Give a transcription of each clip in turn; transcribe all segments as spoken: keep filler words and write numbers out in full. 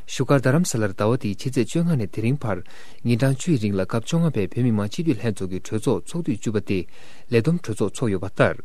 བཞུགས་སྒར་རྡ་རམ་ས་ལར་ཟླ་བ་འདིའི་ཕྱི་ཚེས་བཅོ་ལྔ་ནས་དེ་རིང་བར་ཉིན་གྲངས་བཅུའི་རིང་ལ་སྐབས་བཅོ་ལྔ་པའི་བོད་མི་མང་སྤྱི་འཐུས་ལྷན་ཚོགས་ཀྱི་གྲོས་ཚོགས་ཚོགས་དུས་བཅུ་པ་སྟེ་ལས་བསྡོམས་གྲོས་ཚོགས་འཚོགས་ཡོད་པ་ལྟར།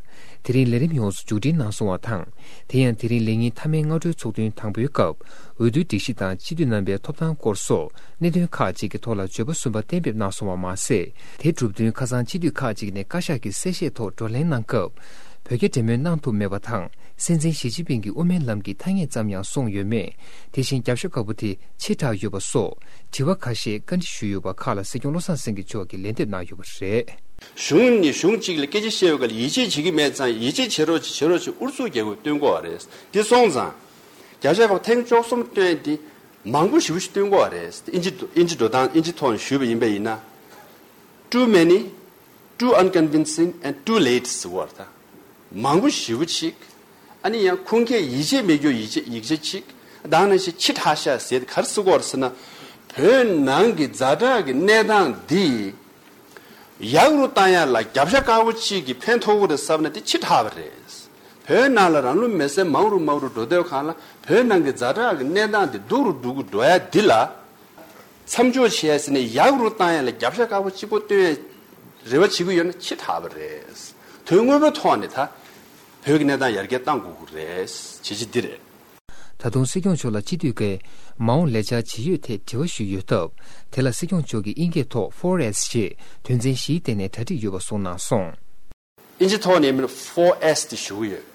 དེ་རིང་ལས་རིམ་ཡོངས་སུ་མཇུག་སྒྲིལ་གནང་སོང་བ་དང་། དེ་ཡང་དེ་རིང་ལས་ཉིན་མཐའ་མའི་སྔ་དྲོའི་ཚོགས་ཐུན་དང་པོའི་སྐབས་འོས་བསྡུའི་སྒྲིག་གཞི་དང་སྤྱི་འཐུས་རྣམ་པའི་ཐོབ་ཐང་སྐོར་སོགས་གནད་དོན་ཁག་ཅིག་གི་ཐོག་ལ་བརྗོད་པ་གསུམ་པ་གཏན་འབེབས་གནང་སོང་བ་མ་ཟད། དེ་གྲུབ་དོན་ཁ་སང་སྤྱི་འཐུས་ཁག་ཅིག་ནས་བཀའ་ཤག་གི་གསལ་བཤད་ཐོག་བགྲོ་གླེང་གནང་སྐབས། བོད་རྒྱ་འབྲེལ་མོལ་གནང་ཐུབ་མེད་པ་དང་། སྲིད་འཛིན་ཞི་ཅིན་ཕིང་གིས་དབུ་མའི་ལམ་གྱི་ཐ་སྙད་ཙམ་ཡང་གསུངས་ཡོད་མེད། དེ་བཞིན་རྒྱབ་ཤོག་ཁ་པོ་དེ་ཕྱིར་བསྒྲགས་ཡོད་པ་སོགས་དྲི་བ་ཁ་ཤས་བཀའ་འདྲི་ཞུས་ཡོད་པ་ཁག་ལ་སྲིད་སྐྱོང་བློ་བཟང་སེང་གེ་མཆོག་གིས་ལན་འདེབས་གནང་ཡོད་པ་རེད། གཞུང་ནས་གཞུང་གཅིག་ལ་སྐད་ཆ་བཤད་ཡོད་ག་ལ་ཡིད་ཆེས་བྱེད་ཀྱི་མེད་ཙང་ཡིད་ཆེས་བྱེད་རོགས་བྱེད་བྱེད་རོགས་བྱེད་ཨུ་ཚུགས་རྒྱག་དགོས་སྟོན་གོ་བ་རེད། དེ་སོང་ཙང་། རྒྱབ་ཤོག་ཁ་པོ་ཐེངས་བཅུ་གསུམ་བཏོན་ཏེ་མང་པོ་ཞེ་པོ་ཞིག་བཏོན་གོ་བ་རེད། ཨིན་ཇི་ཨིན་ཇི་འགྲོ་སྟངས་ཨིན་ཇི་ཐོག་ནས་ཞུས་པ་ཡིན་པ་ཡིན་ན། Too many, too unconvincing and too late ཟེར་བ་རེད་ད། མང་པོ་ཞེ་པོ་ཅིག་ཨ་ནི་ཡང་ཁུངས་སྐྱེལ་ཡིད་ཆེས་མེད་རྒྱུ་ཡིད་ཆེས་ཡིག་ཆ་ཅིག་དང་ནང་བཞིན་ཕྱི་དྲགས་ཤག་ཟེར་ཏེ་ག་རེ་ཟེར་གོ་རེད་ཟེར་ན། བོད་ནང་གི་ཛ་དྲག་གི་གནས་སྟངས་འདི་ཡག་རུ་བཏང་ཡ་ལ་རྒྱབ་ཤ་དཀར་པོ་གཅིག་གིས་ཕན་ཐོགས་ཀྱི་རེད་བསམ་ན་དེ་ཕྱི་དྲགས་པ་རེད། བོད་ནང་ལ་རང་ལུས་མེར་སྲེག་མང་རུ་མང་རུ་འགྲོ་དུས་སྒང་ལ་བོད་ནང་གི་ཛ་དྲག་གི་གནས་སྟངས་འདི་སྡུག་རུ་སྡུག་རུ་འགྲོ་ཡ་འདི་ལ། མཚམས་འཇོག་བྱས་ཟིན་ནས་ཡག་རུ་བཏང་ཡ་ལ་རྒྱབ་ཤ་དཀར་པོ་གཅིག་པོ་བཏོན་ཡ་རེ་བ་བྱེད་ཀྱི་ཡོད་ན་ཕྱི་དྲགས་པ་རེད། དོན་དངོས་པོའི་ཐོག་ནས་ད་བོད་ཀྱི་གནས་སྟངས་ཡར་རྒྱས་གཏང་དགོས་ཀྱི་རེད། བྱས་རྗེས་འདི་རེད། ད་དུང་སྲིད་སྐྱོང་མཆོག་ལ་སྤྱི་འཐུས་ཀྱིས་མ་འོངས་ལས་འཆར་ཇི་ཡོད་ཐད་དྲི་བ་ཞུས་ཡོད་སྟབས། དེ་ལ་སྲིད་སྐྱོང་མཆོག་གིས་དབྱིན་སྐད་ཐོག་four S ཞེས་དོན་ཚན་བཞིའི་སྟེང་ནས་གྲ་སྒྲིག་ཡོད་པ་གསུངས་གནང་སོང་། ཨིན་ཇི་ཐོག་ནས་མིན་four S དེ་ཞུ་གི་ཡོད།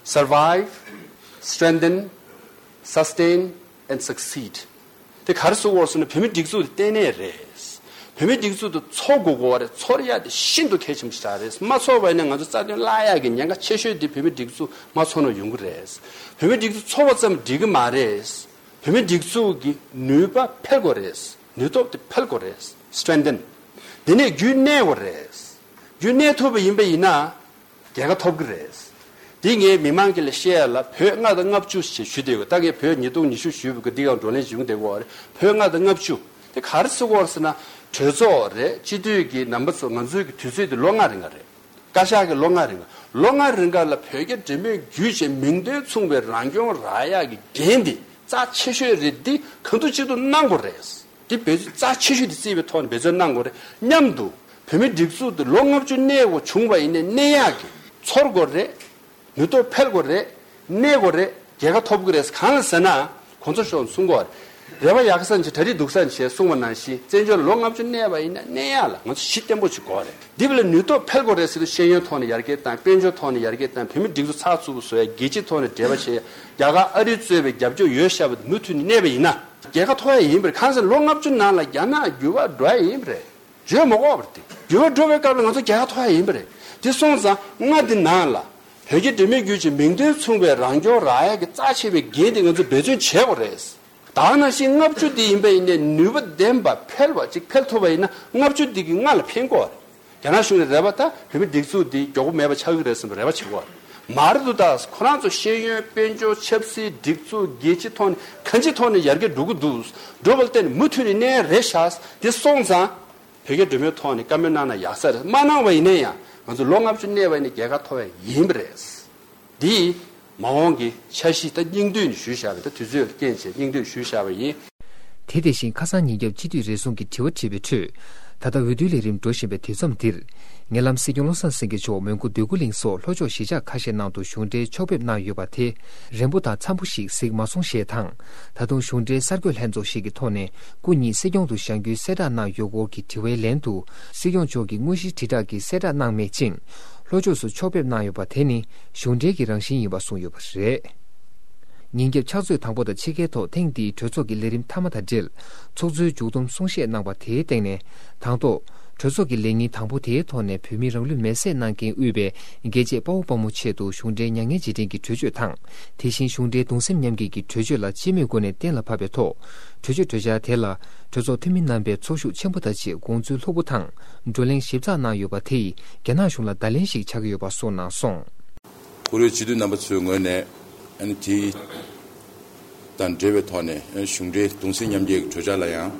Survive, strengthen, sustain and succeed. དེ་ག་རེ་ཟེར་གོ་རེད་ཟེར་ན་བོད་མིའི་སྒྲིག་འཛུགས་དེ་བརྟན་གནས་རེད། བོད་མིའི་སྒྲིག་འཛུགས་དེ་འཚོ་དགོས་དགོས་པ་རེད། འཚོ་ཡ་དེ་ཤིན་ཏུ་གལ་ཆེན་པོ་ཞིག་རེད། མ་འཚོ་བ་ཡིན་ན་ང་ཚོ་རྩ་དོན་བརླག་ཡ་གི་ཉེན་ཁ་ཆེ་ཤོས་དེ་བོད་མིའི་སྒྲིག་འཛུགས་མ་འཚོ་ན་ཡོང་གི་རེད། བོད་མིའི་སྒྲིག་འཛུགས་འཚོ་བ་ཙམ་འགྲིག་གི་མ་རེད། བོད་མིའི་སྒྲིག་འཛུགས་ཀྱི་ནུས་པ་འཕེལ་དགོས་རེད། ནུས་སྟོབས་དེ་འཕེལ་དགོས་རེད། Strengthen. དེ་ནས་རྒྱུན་གནས་དགོས་རེད། རྒྱུན་གནས་ཐུབ་པ་ཡིན་པ་ཡིན་ན། རྒྱལ་ཁ་ཐོབ་ཀྱི་རེད། འདི་ངས་མི་མང་གི་ལ་བཤད་ཡ་ལ་བོད་ལྔ་དང་ལྔ་བཅུ་ཞེས་ཞུ་བསྡད་ཡོད། ད་ངས་བོད་ཉིས་སྟོང་ཉི་ཤུ་ཞུས་པ་གི་འདི་གའང་བགྲོ་གླེང་བྱུང་བསྡད་ཡོད་རེད། བོད་ལྔ་དང་ལྔ་བཅུ། དེ་ག་རེ་ཟེར་གོ་རེད་ཟེར་ན། གྲོས་ཚོགས་རེད། སྤྱི་འཐུས་ཀྱི་རྣམ་པ་ཚོ་ང་ཚོའི་གི་དུས་ཚོད་དེ་ལོ་ལྔ་རིང་ག་རེད། བཀའ་ཤག་གི་ལོ་ལྔ་རིང་ག་ལོ་ལྔ་རིང་ག་ལ་བོད་རྒྱ་འབྲེལ་མོལ་བརྒྱུད་བྱས་མིང་དོན་མཚུངས་པའི་རང་སྐྱོང་རག་ཡག་གི་འགན་དེ་རྩ་ཆེ་ཤོས་རེད། འདི་གང་ཐུབ་ཅི་ཐུབ་གནང་དགོས་རེད། འདི་འབད་བརྩོན་རྩ་ཆེ་ཤོས་དེ་བརྩིས་པའི་ཐོག་ནས་འབད་བརྩོན་གནང་དགོས་རེད། མཉམ་དུ་བོད་མིའི་སྒྲིག་འཛུགས་འདི་ལོ་ལྔ་བཅུ་གནས་དགོས་བྱུང་བ་ཡིན་ནའི་གནས་ཡག་གི་ཚོར་དགོས་རེད། ནུས་སྟོབས་འཕེལ་དགོས་རེད། གནས་དགོས་རེད། རྒྱལ་ཁ་ཐོབ་ཀྱི་རེད། གང་ལ་ཟེར་ན། གོང་ས་མཆོག་གསུང་གོ། རེ་བ་ཡག་ས་ནས་གྲ་སྒྲིག་སྡུག་ས་ནས་བྱས་གསུངས་པ་ནང་བཞིན་བཙན་བྱོལ་ལོ་ལྔ་བཅུ་གནས་པ་ཡིན་ན་གནས་ཡག་ལ་ང་ཚོ་གཞི་བརྟན་པོ་ཞིག་དགོས་རེད། འདི་བས་ལ་ནུས་སྟོབས་འཕེལ་དགོས་རེད་ཟེར་དུས་ཤེས་ཡོན་ཐོག་ནས་ཡར་རྒྱས་བཏང་། དཔལ་འབྱོར་ཐོག་ནས་ཡར་རྒྱས་བཏང་། བོད་མི་སྒྲིག་འཛུགས་ཚགས་ཚུད་པོ་བཟོ་ཡ། རྒྱལ་སྤྱིའི་ཐོག་ནས་འབྲེལ་བ་བྱེད་ཡ། རྒྱ་གར་ཨ་རི་གཙོས་པའི་རྒྱབ་སྐྱོར་ཡོད་ཤག་པ་དེ་མུ་མཐུད་ནས་གནས་པ་ཡིན་ན་རྒྱལ་ཁ་ཐོབ་ཡ་ཡིན་པ་རེད། གང་ཟེར་ལོ་ལྔ་བཅུ་ནང་ལ་རྒྱ་ནག་འགྱུར་བ་འགྲོ་ཡ་ཡིན་པ་རེད། བརྗོད་མ་དགོས་པ་རེད། འགྱུར་བ་འགྲོ་བའི་སྐབས་ལ་ང་ཚོ་རྒྱལ་ཁ་ཐོབ་ཡ་ཡིན་པ་རེད། དེ་སོང་ཙང་ལྔ་འདི་ནང་ལ་བོད་རྒྱ་འབྲེལ་མོལ་བརྒྱུད་ཀྱི་མིང་དོན་མཚུངས་པའི་རང་སྐྱོང་རག་ཡ་གི་རྩ་ཆེ་བའི་འགན་དེ་ང་ཚོས་འབད་བརྩོན་བྱེད་དགོས་རེད། ད་ག་ནང་བཞིན་ལྔ་བཅུ་འདི་ཡིན་པ་ཡིན་ནའི་ནུས་པ་ལྡན་པ་འཕེལ་བ་ཅིག་འཕེལ་ཐུབ་པ་ཡིན་ན་ལྔ་བཅུ་འདི་གིས་ལྔ་ལ་ཕན་གོ་རེད། རྒྱ་ནག་གཞུང་ནས་རེ་བ་ད་བོད་མི་སྒྲིག་འཛུགས་འདི་མགྱོགས་པོ་མེད་པ་ཆགས་ཀྱི་རེད་བསམ་པའི་རེ་བ་བྱེད་དགོས་རེད། མ་རེད་འདུག་ད་ཁོ་རང་ཚོ་ཤེས་ཡོན་དཔལ་འབྱོར་ཆབ་སྲིད་སྒྲིག་འཛུགས་རྒྱལ་སྤྱིའི་ཐོག་ནས་གང་ཅིའི་ཐོག་ནས་ཡར་རྒྱས་འགྲོ་གི་འདུག་འགྲོ་བ་ལ་བརྟེན་ནས་མུ་མཐུད་ནས་གནས་རེད་ཤག་དེ་སོང་ཙང་། བོད་རྒྱ་འབྲེལ་མོལ་ཐོག་ནས་བཀའ་མོལ་གནང་ན་ཡག་ས་རེད། མ་གནང་བ་ཡིན་ན་ཡང་ང་ཚོ་ལོ་ལྔ་བཅུ་གནས་པ་ཡིན་ན་རྒྱལ་ཁ་ཐོབ་ཡ་ཡིན་པ་རེད། འདི་མ་འོངས་ཀྱི་འཆར་གཞི་ད་སྙིང་བསྡུས་ནས་ཞུས་བཞག་པ་ད་དུས་ཚོད་ལ་རྐྱེན་བྱས་སྙིང་བསྡུས་ཞུས་བཞག་པ་ཡིན། དེ་དེ་བཞིན་ཁ་སང་ཉིན་རྒྱབ་སྤྱི་འཐུས་རེ་ཟུང་གིས་དྲི་བ་དྲིས་པའི་ཁྲོད། ད་ལྟ་འོས་བསྡུའི་ལས་རིམ་འགྲོ་བཞིན་པའི་དུས་མཚམས་འདིར། ཉེ་ལམ་སྲིད་སྐྱོང་བློ་བཟང་སེང་གེ་མཆོག་མོན་གྷོ་འདོད་རྒུ་གླིང་སོགས་ལྷོ་ཕྱོགས་གཞིས་ཆགས་ཁ་ཤས་ནང་དུ་གཞུང་འབྲེལ་ཕྱོགས་ཕེབས་གནང་ཡོད་པ་དེ། རན་པོ་དང་འཚམ་པོ་ཞིག་གཟིགས་མ་སོང་ཞེས་དང་། ད་དུང་གཞུང་འབྲེལ་གསར་འགོད་ལྷན་ཚོགས་ཤིག་གི་ཐོག་ནས་སྐུ་ཉིད་སྲིད་སྐྱོང་དུ་བཞེངས་རྒྱུའི་གསལ་བསྒྲགས་གནང་ཡོད་སྐོར་གྱི་དྲི་བའི་ལན་དུ། སྲིད་སྐྱོང་མཆོག་གིས་དངོས་གཞིའི་དྲིལ་བསྒྲགས་ཀྱི་གསལ་བསྒྲགས་གནང་མེད་ཅིང་། ལྷོ་ཕྱོགས་སུ་ཕྱོགས་ཕེབས་གནང་ཡོད་པ་དེ་ནི་གཞུང་འབྲེལ་གྱི་རང་བཞིན་ཡིན་པ་གསུངས་ཡོད་པ་རེད། ཉིན་རྒྱབ་ཕྱག་ཚོད་དང་པོ་དང་ཕྱེད་ཀའི་ཐོག་ཐེངས་འདིའི་གྲོས་ཚོགས་ཀྱི་ལས་རིམ་མཐའ་མ་དང་འབྲེལ། ཚོགས་གཙོའི་མཇུག་བསྡོམས་གསུང་བཤད་གནང་བ་དེའི་སྟེང་ནས། དང་ཐོག་གྲོས་ཚོགས་ཀྱི་ལས་ཉིན་དང་པོ་དེའི་ཐོག་ནས་བོད་མིའི་རང་ལུས་མེར་སྲེག་གནང་མཁན་དབུས་པའི་རྒྱལ་གཅེས་དཔའ་བོ་དཔའ་མོ་ཆེད་དུ་གཞུང་འབྲེལ་མྱ་ངན་རྗེས་དྲན་གྱི་གྲོས་ཆོད་དང་། དེ་བཞིན་གཞུང་འབྲེལ་གདུང་སེམས་མཉམ་སྐྱེད་ཀྱི་གྲོས་ཆོད་ལ་སྤྱི་མོས་སྒོ་ནས་གཏན་ལ་ཕབ་པའི་ཐོག་གྲོས་ཆོད་གྲོས་འཆར་དེ་ལ་གྲོས་ཚོགས་འཐུས་མི་རྣམ་པས་ཚོར་ཤུགས་ཆེན་པོ་དང་བཅས་དགོངས་ཚུལ་ལྷུག་པོ་དང་བགྲོ་གླེང་ཞིབ་ཚགས་གནང་ཡོད་པ་དེ་ཡིས་རྒྱ་ནག་གཞུང་ལ་བརྡ་ལན་ཞིག་ཆགས་ཀྱི་ཡོད་པ་གསུངས་གནང་སོང་། བཀུར་འོས་སྤྱི་འཐུས་རྣམ་པ་ཚོའི་ངོས་ནས་ཨ་ནི་དེ་དང་འབྲེལ་བའི་ཐོག་ནས་གཞུང་འབྲེལ་གདུང་སེམས་མཉམ་སྐྱེད་ཀྱི་གྲོས་འཆར་ལ་ཡང་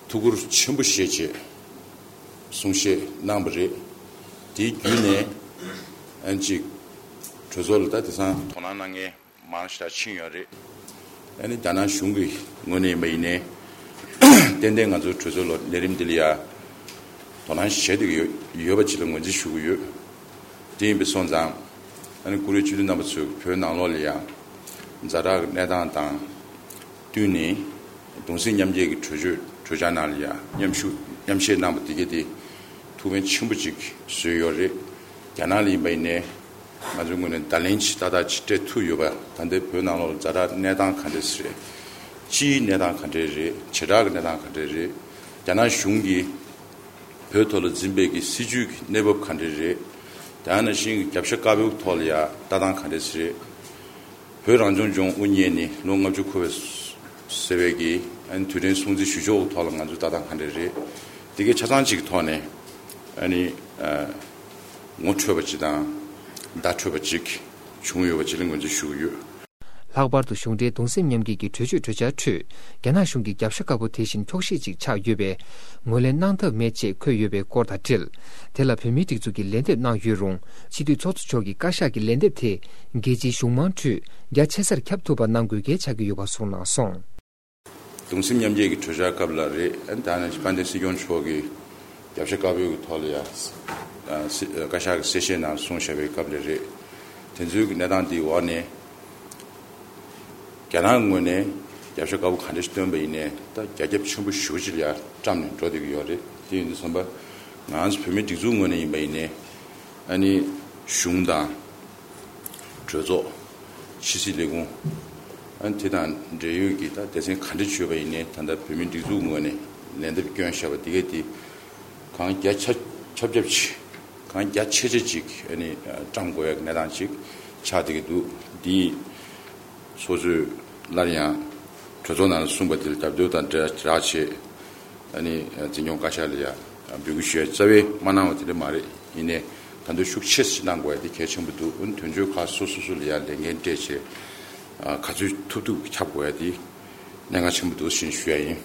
ཐུགས་ཁུར་ཆེན་པོ་བཞེས་བྱས་གསུང་བཤད་གནང་བ་རེད། དེའི་བརྒྱུད་ནས་ཨ་ནི་ཅིག་གྲོས་ཚོགས་ལ་ད་དེང་སང་དོ་སྣང་གནང་མཁན་མང་ཞེ་དྲག་ཕྱིན་ཡོད་རེད། ཨ་ནི་རྒྱ་ནག་གཞུང་གི་ངོས་ནས་ཡིན་པ་ཡིན་ནའི་ཏན་ཏན་ང་ཚོའི་གྲོས་ཚོགས་ལ་ལས་རིམ་འདི་ལ་ཡ་དོ་སྣང་བྱེད་བསྡད་ཀྱི་ཡོད་ཡོད་པ་ཅིག་ལ་ངོས་འཛིན་ཞུ་གི་ཡོད། དེ་ཡིན་པའི་སོང་ཙང་ཨ་ནི་བཀུར་འོས་སྤྱི་འཐུས་རྣམ་པ་ཚོས་བོད་ནང་ལོགས་ལ་ཡ་ཛ་དྲག་གི་གནས་སྟངས་དང་བསྟུན་ནས་གདུང་སེམས་མཉམ་སྐྱེད་ཀྱི་གྲོས་ཆོད་གྲོས་འཆར་ནང་ལ་ཡ་མཉམ་ཞུགས་མཉམ་བཞེས་གནང་བ་དེ་གས་དེ་ཐུགས་ཕན་ཆེན་པོ་ཅིག་བཟོས་ཡོད་རེད། རྒྱ་ནག་ལ་ཡིན་པ་ཡིན་ནའི་ང་ཚོའི་ངོས་ནས་བརྡ་ལན་ཅིག་ཏག་ཏག་ཅིག་སྤྲད་ཐུབ་ཡོད་པ། ད་ལྟའི་བོད་ནང་ལོགས་ཛ་དྲག་གནས་སྟངས་ག་འདྲས་རེད། སྤྱིའི་གནས་སྟངས་ག་འདྲས་རེད། བྱེ་བྲག་གི་གནས་སྟངས་ག་འདྲས་རེད། རྒྱ་ནག་གཞུང་གིས་བོད་ཐོག་ལ་འཛིན་པའི་གི་སྲིད་བྱུས་ཀྱི་གནས་བབ་ག་འདྲས་རེད། དེ་ནང་བཞིན་གྱི་རྒྱབ་ཤ་དཀར་པོའི་ཐོག་ལ་ཡ་ལྟ་སྟངས་ག་འདྲས་རེད། བོད་རང་སྐྱོང་ལྗོངས་དབུ་བརྙེས་ནས་ལོ་ལྔ་བཅུ་འཁོར་བའི་ཟེར་བའི་གི་ཨ་ནི་དུས་དྲན་སྲུང་བརྩི་ཞུ་ཕྱོགས་ཀྱི་ཐོག་ལ་ང་ཚོ་ལྟ་སྟངས་ག་འདྲས་རེད། དེ་གའི་ཆ་ཚང་གཅིག་གི་ཐོག་ནས་ཨ་ནི་ཨ་ངོ་འཕྲོད་པ་ཅིག་དང་བརྡ་འཕྲོད་པ་ཅིག་བྱུང་ཡོད་པ་ཅིག་ལ་ངོས་འཛིན་ཞུ་གི་ཡོད། ལྷག་པར་དུ་གཞུང་འབྲེལ་གདུང་སེམས་མཉམ་སྐྱེད་ཀྱི་གྲོས་ཆོད་གྲོས་འཆར་ཁྲོད་རྒྱ་ནག་གཞུང་གི་རྒྱབ་ཤ་དཀར་པོ་དེ་བཞིན་འཁྱོག་བཤད་ཅིག་ཆགས་ཡོད་པས་ངོས་ལེན་གནང་ཐབས་མེད་ཅེས་འཁོད་ཡོད་པའི་སྐོར་དང་འབྲེལ། དེ་ལ་བོད་མིའི་སྒྲིག་འཛུགས་ཀྱིས་ལན་འདེབས་གནང་ཡོད་རུང་སྤྱི་འཐུས་ཚོགས་གཙོ་མཆོག་གི་བཀའ་ཤག་གི་ལན་འདེབས་དེ་རྒྱལ་སྤྱིའི་གཞུང་མང་ཁྲོད་རྒྱ་ཆེ་སར་ཁྱབ་ཐུབ་པ་གནང་དགོས་གལ་ཆགས་ཀྱི་ཡོད་པ་གསུངས་གནང་སོང་། གདུང་སེམས་མཉམ་སྐྱེད་ཀྱི་གྲོས་འཆར་སྐབས་ལ་རེད། ཨ་ནི་ད་ནི་དཔལ་ལྡན་སྲིད་སྐྱོང་མཆོག་གིས་རྒྱབ་ཤ་དཀར་པོའི་ཐོག་ལ་ཡ་ཨ་སི་ཨ་བཀའ་ཤག་གི་གསལ་བཤད་ནང་གསུངས་བཞག་པའི་སྐབས་ལ་རེད། དེ་ཚོའི་གི་གནས་སྟངས་འདིའི་འོག་ནས་རྒྱ་ནག་ངོས་ནས་རྒྱབ་ཤ་དཀར་པོ་ག་འདྲ་ཞིག་བཏོན་པ་ཡིན་ནའི་ད་རྒྱ་ཁྱབ་ཆེན་པོ་ཞེ་པོ་ཅིག་ལ་ཡ་བཀྲམ་ནས་འགྲོ་བསྡད་ཀྱི་ཡོད་རེད། དེ་ཡིན་དུས་ཙམ་པ་ང་ཚོ་བོད་མིའི་སྒྲིག་འཛུགས་ངོས་ནས་ཡིན་པ་ཡིན་ནའི་ཨ་ནི་གཞུང་དང་། གྲོས་ཚོགས། ཕྱི་སྲིད་ལས་ཁུངས། ཨ་ནི་དེ་དང་འབྲེལ་ཡོད་ཀྱི་ད་སྡེ་ཚན་ག་འདྲ་བྱས་པ་ཡིན་ནའི་ད་ལྟ་བོད་མིའི་སྒྲིག་འཛུགས་ངོས་ནས་ལན་འདེབས་བསྐྱོན་བཞག་པ་འདི་གས་དེ་གང་རྒྱ་ཆ་ཁྱབ་ཁྱབ་ཅིག་གང་རྒྱ་ཆེ་ཆེ་ཅིག་ཨ་ནི་བཀྲམ་དགོས་ཡག་གནས་སྟངས་ཅིག་ཆགས་བསྡད་ཀྱི་འདུག་འདི་སོ་སོས་སླར་ཡང་གྲོས་ཚོགས་ནང་ལ་གསུངས་པ་དེ་ལ་རྒྱབ་སྐྱོར་དང་འབྲེལ་བྱས། ཨ་ནི་འཛིན་སྐྱོང་བཀའ་ཤག་ལ་ཡ་འབོད་སྐུལ་ཞུ་ཡ་རྩ་བའི་མ་གནང་བ་དེ་འདྲ་མ་རེད། ཡིན་ནའི་ད་དུང་ཤུགས་ཆེ་ཞིག་གནང་དགོས་ཡ་དེ་གལ་ཆེན་པོ་འདུག་ཨ་ནི་དོན་གཅོད་ཁག་སོ་སོ་སོ་ལ་ཡ་ལས་འགན་སྤྲད་བྱས་ག་ཚོད་ཐུབ་ཐུབ་ཁྱབ་དགོས་ཡ་དེ་གནད་འགག་ཆེན་པོ་འདུག་ཞེས་ཞུ་ཡ་ཡིན།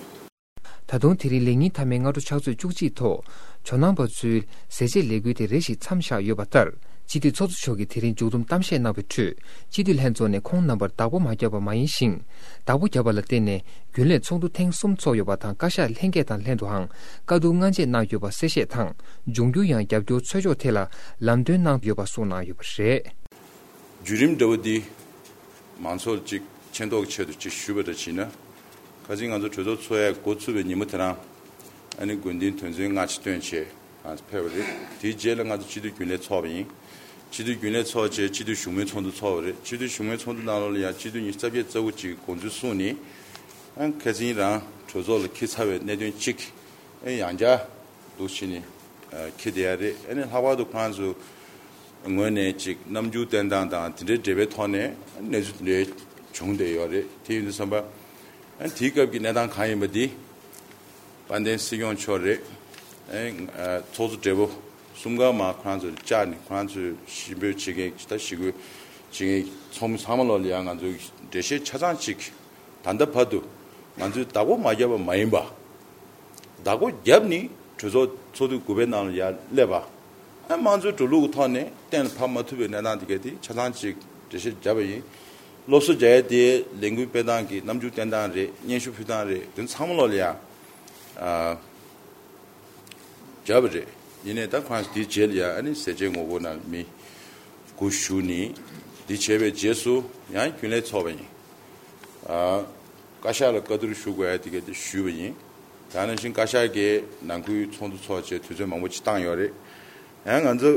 ད་དུང་དེ་རིང་ལས་ཉིན་མཐའ་མའི་སྔ་དྲོ་ཕྱག་ཚོད་བཅུ་གཅིག་ཐོག་ཇོ་ནང་པ་ཚོའི་ཟས་བཅད་ལས་འགུལ་དེ་རེ་ཞིག་མཚམས་བཞག་ཡོད་པ་ལྟར། སྤྱི་འཐུས་ཚོགས་གཙོ་མཆོག་གིས་དེ་རིང་མཇུག་བསྡོམས་གཏམ་བཤད་གནང་བའི་ཁྲོད། སྤྱི་འཐུས་ལྷན་ཚོགས་ནས་ཁོང་རྣམ་པར་བདག་པོ་མ་བརྒྱབ་པ་མ་ཡིན་ཞིང་། བདག་པོ་བརྒྱབ་པ་ལ་བརྟེན་ནས་རྒྱུན་ལས་ཚོགས་འདུ་ཐེངས་གསུམ་ཚོགས་ཡོད་པ་དང་། བཀའ་ཤག་ལྷན་རྒྱས་དང་ལྷན་དུའང་བཀའ་བསྡུར་སྔ་རྗེས་གནང་ཡོད་པ་གསལ་བཤད་དང་། འབྱུང་འགྱུར་ཡང་རྒྱབ་སྐྱོར་འཚོལ་ཕྱོགས་ཐད་ལ་ལམ་སྟོན་གནང་ཡོད་པ་གསུངས་གནང་ཡོད་པ་རེད། བརྒྱུད་རིམ་འདྲ་བོ་འདི་མང་ཚོགས་ལ་ཅིག་མཁྱེན་རྟོགས་ཆེད་དུ་ཅིག་ཞུས་པ་འདྲ་བྱས་ན། ཁ་སང་ང་ཚོ་གྲོས་ཚོགས་ཚོགས་ཡས་འགོ་ཚུགས་པའི་ཉིན་མོ་དེ་རང་ཨ་ནི་དགོན་སྡེའི་དོན་ཚན་ལྔ་ཅིག་བཏོན་བྱས། ང་ཚོ་ཕེབས་པ་རེད། དེའི་རྗེས་ལ་ང་ཚོ་སྤྱི་འཐུས་རྒྱུན་ལས་ཚོགས་པ་ཡིན། སྤྱི་འཐུས་རྒྱུན་ལས་ཚོགས་རྗེས་སྤྱི་འཐུས་བཞུགས་མོལ་ཚོགས་འདུ་ཚོགས་པ་རེད། སྤྱི་འཐུས་བཞུགས་མོལ་ཚོགས་འདུ་ནང་ལོགས་ལ་ཡང་སྤྱི་འཐུས་ཉི་ཤུ་རྩ་བརྒྱད་རྩ་དགུ་ཅིག་དགོངས་ཚུལ་གསུངས་ནས། ཨ་ཁ་སང་རང་གྲོས་ཚོགས་ལ་འཁྱེར་ཚར་བའི་གནད་དོན་གཅིག་ཨ་ཡང་བསྐྱར་འདུག་བྱས་ནས་འཁྱེར་བསྡད་ཡ་རེད། ཨ་ནི་ལྷག་པར་དུ་ཁོང་ཚོ་ངོས་ནས་ཅིག་རྣམ་འགྱུར་བསྟན་སྟངས་དང་དེ་འདྲའི་འབྲེལ་བའི་ཐོག་ནས་གནས་ཚུལ་དེ་འདྲ་བྱུང་བསྡད་ཡོད་རེད། དེ་ཡིན་དུས་ཙམ་པ། ཨ་དེའི་སྐབས་ཀྱི་གནས་སྟངས་གང་ཡིན་པ་འདི། དཔལ་ལྡན་སྲིད་སྐྱོང་མཆོག་རེད། ཨ་ཚོགས་གཙོ་སྦྲེལ་པོ་གསུམ་ཀ་མར་ཁོ་རང་ཚོ་བཅར་ནས་ཁོ་རང་ཚོས་ཞི་འབོད་བྱེད་མཁན་ད་ཞི་རྒོལ་བྱེད་མཁན་ཚོགས་མི་ཚང་མ་ལོག་ལ་ཡང་ང་ཚོས་འགྲེལ་བཤད་ཆ་ཚང་ཅིག་ད་ལྟ་བར་དུ་ང་ཚོས་བདག་པོ་མ་བརྒྱབ་པ་མ་ཡིན་པ། བདག་པོ་བརྒྱབ་ནས་གྲོས་ཚོགས་ཚོགས་དུས་དགུ་པའི་ནང་ལ་ཡར་སླེབས་པ། ཨ་དམངས་གཙོའི་འགྲོ་ལུགས་ཀྱི་ཐོག་ནས་གཏན་ལ་ཕབ་མ་ཐུབ་པའི་གནས་སྟངས་དེ་ག་དེ་ཆ་ཚང་ཅིག་འགྲེལ་བཤད་བརྒྱབ་པ་ཡིན། སློབ་གསོ་རྒྱག་ཡས་དེ་ལས་འགུལ་སྤེལ་སྟངས་རེད། རྣམ་འགྱུར་བསྟན་སྟངས་རེད། དེ་ཚང་མ་ལོག་ལ་ཡ་ཨ་བརྒྱབ་པ་རེད། ཡིན་ནའི་ད་ཁོང་དེའི་རྗེས་ལ་ཡ་ཨ་ནི་ཟས་བཅད་ངོ་རྒོལ་ནང་མི་དགུ་ཞུགས་ནས་དེ་བྱས་པའི་རྗེས་སུ་ཡང་རྒྱུན་ལས་ཚོགས་པ་ཡིན། ཨ་བཀའ་ཤག་ལ་བཀའ་བསྡུར་ཞུ་དགོས་ཡ་དེ་ག་དེ་ཞུས་པ་ཡིན། ད་ནང་བཞིན་བཀའ་ཤག་གིས་ནང་ཁུལ་ཚོགས་འདུ་ཚོགས་བྱས་དུས་ཚོད་མང་པོ་ཅིག་བཏང་ཡོད་རེད། ཡང་ང་ཚོ་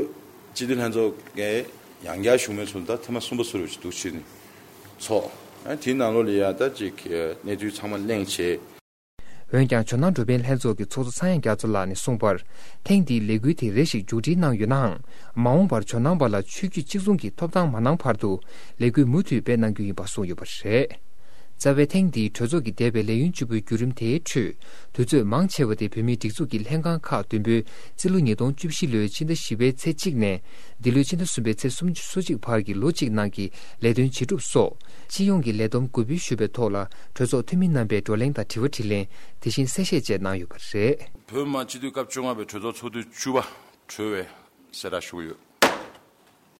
སྤྱི་འཐུས་ལྷན་ཚོགས་ཀྱིས་ཡང་བསྐྱར་བཞུགས་མོལ་ཚོགས་འདུ་ད་ཐེངས་མ་གསུམ་པ་ཟེར་བ་ཞིག་འདུག་བྱས་ནས་ཚོགས། ཨ་དེའི་ནང་ལོགས་ལ་ཡ་ད་ཅིག་གནས་ཚུལ་ཚང་མ་གླེང་བྱས། འོན་ཀྱང་ཇོ་ནང་འགྲོ་ཕན་ལྷན་ཚོགས་ཀྱི་ཚོགས་གཙོ་ཚངས་དབྱངས་རྒྱ་མཚོ་ལགས་ནས་གསུངས་པར། ཐེངས་འདིའི་ལས་འགུལ་དེ་རེ་ཞིག་མཇུག་སྒྲིལ་གནང་ཡོད་ནའང་། མ་འོངས་པར་ཇོ་ནང་པ་ལ་ཆོས་བརྒྱུད་གཅིག་མཚུངས་ཀྱི་ཐོབ་ཐང་མ་གནང་བར་དུ་ལས་འགུལ་མུ་མཐུད་སྤེལ་གནང་རྒྱུ་ཡིན་པ་གསུངས་ཡོད་པ་རེད། རྩ་བའི་ཐེངས་འདིའི་གྲོས་ཚོགས་ཀྱི་འདས་པའི་ལས་ཡུན་བཅུ་པོའི་བརྒྱུད་རིམ་དེའི་ཁྲོད། དུས་ཚོད་མང་ཆེ་བ་དེ་བོད་མིའི་སྒྲིག་འཛུགས་ཀྱི་ལྷན་ཁང་ཁག་བདུན་པོའི་རྩིས་ལོ་ཉིས་སྟོང་བཅུ་བཞི་ལོའི་ཕྱི་ཟླ་བཞི་པའི་ཚེས་གཅིག་ནས་འདི་ལོའི་ཕྱི་ཟླ་གསུམ་པའི་ཚེས་སོ་གཅིག་བར་གྱི་ལོ་གཅིག་ནང་གི་ལས་དོན་བྱེད་གྲུབ་སོགས་སྤྱི་ཡོངས་ཀྱི་ལས་བསྡོམས་གོ་བསྡུར་ཞུས་པའི་ཐོག་ལ་གྲོས་ཚོགས་འཐུས་མི་རྣམ་པས་བགྲོ་གླེང་དང་དྲི་བ་དྲིས་ལན། དེ་བཞིན་གསལ་བཤད་བཅས་གནང་ཡོད་པ་རེད། བོད་མི་མང་སྤྱི་འཐུས་སྐབས་བཅོ་ལྔ་པའི་གྲོས་ཚོགས་ཚོགས་དུས་བཅུ་པ་གྲོལ་བའི་གསལ་བསྒྲགས་ཞུ་གི་ཡོད།